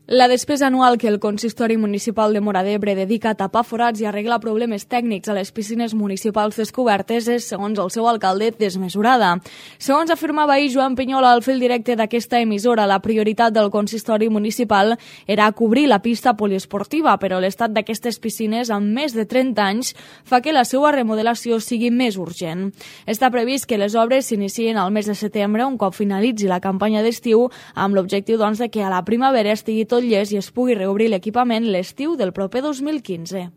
La despesa anual que el Consistori Municipal de Móra d'Ebre dedica a tapar forats i arreglar problemes tècnics a les piscines municipals descobertes és, segons el seu alcalde, desmesurada. Segons afirmava ahir Joan Pinyola al fil directe d'aquesta emissora, la prioritat del Consistori Municipal era cobrir la pista poliesportiva, però l'estat d'aquestes piscines, amb més de 30 anys, fa que la seva remodelació sigui més urgent. Està previst que les obres s'inicien al mes de setembre, un cop finalitzi la campanya d'estiu, amb l'objectiu de que a la primavera estigui tot llest i es pugui reobrir l'equipament l'estiu del proper 2015.